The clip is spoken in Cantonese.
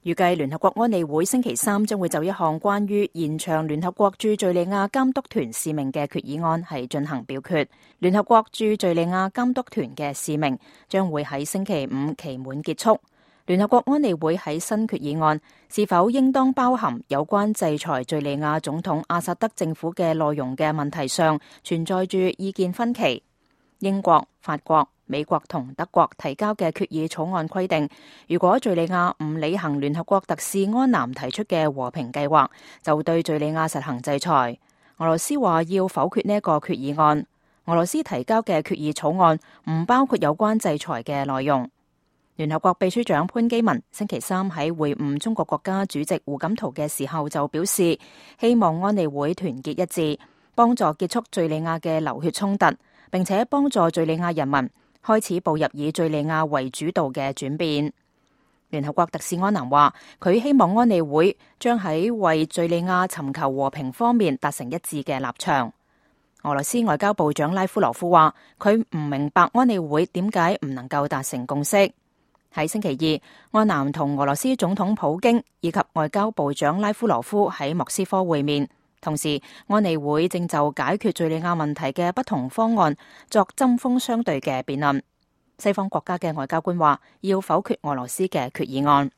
預計聯合國安理會星期三將會就一項關於延長聯合國駐敘利亞監督團使命嘅決議案係進行表決。聯合國駐敘利亞監督團嘅使命將會喺星期五期滿結束。聯合國安理會喺新決議案是否應當包含有關制裁敘利亞總統阿薩德政府嘅內容嘅問題上，存在住意見分歧。英國、法國、美國同德國提交嘅決議草案規定，如果敘利亞唔履行聯合國特使安南提出嘅和平計劃，就對敘利亞實行制裁。俄羅斯話要否決呢一個決議案。俄羅斯提交嘅決議草案唔包括有關制裁嘅內容。聯合國秘書長潘基文星期三喺會晤中國國家主席胡錦濤嘅時候就表示，希望安理會團結一致，幫助結束敘利亞嘅流血衝突，並且幫助敘利亞人民開始步入以敘利亞為主導嘅轉變。聯合國特使安南話，佢希望安理會將喺為敘利亞尋求和平方面達成一致嘅立場。俄羅斯外交部長拉夫羅夫話，佢唔明白安理會點解唔能夠達成共識。喺星期二，安南同俄羅斯總統普京以及外交部長拉夫羅夫喺莫斯科會面，同時安理會正就解決敘利亞問題嘅不同方案作針鋒相對嘅辯論。西方國家嘅外交官話要否決俄羅斯嘅決議案。